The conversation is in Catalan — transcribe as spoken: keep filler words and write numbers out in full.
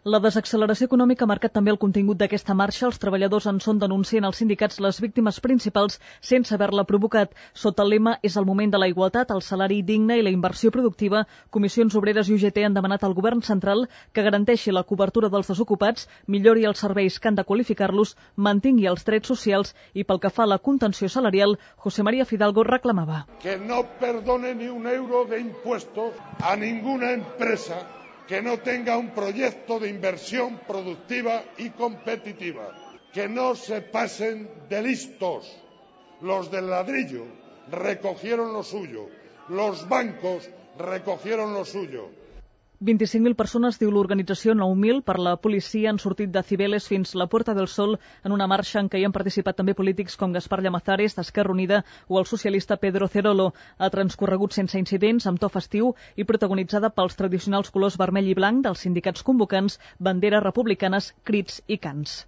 La desacceleració econòmica ha marcat també el contingut d'aquesta marxa. Els treballadors en són, denuncien els sindicats, les víctimes principals sense haver-la provocat. Sota el lema "És el moment de la igualtat, el salari digne i la inversió productiva", Comissions Obreres i U G T han demanat al govern central que garanteixi la cobertura dels desocupats, millori els serveis que han de qualificar-los, mantingui els drets socials i, pel que fa a la contenció salarial, José María Fidalgo reclamava que no perdone ni un euro de impuestos a ninguna empresa que no tenga un proyecto de inversión productiva y competitiva, que no se pasen de listos. Los del ladrillo recogieron lo suyo, los bancos recogieron lo suyo. vint-i-cinc mil persones, diu l'organització nou mil, per la policia han sortit de Cibeles fins la Puerta del Sol en una marxa en què hi han participat també polítics com Gaspar Llamazares, d'Esquerra Unida, o el socialista Pedro Cerolo. Ha transcorregut sense incidents, amb to festiu i protagonitzada pels tradicionals colors vermell i blanc dels sindicats convocants, banderes republicanes, crits i cants.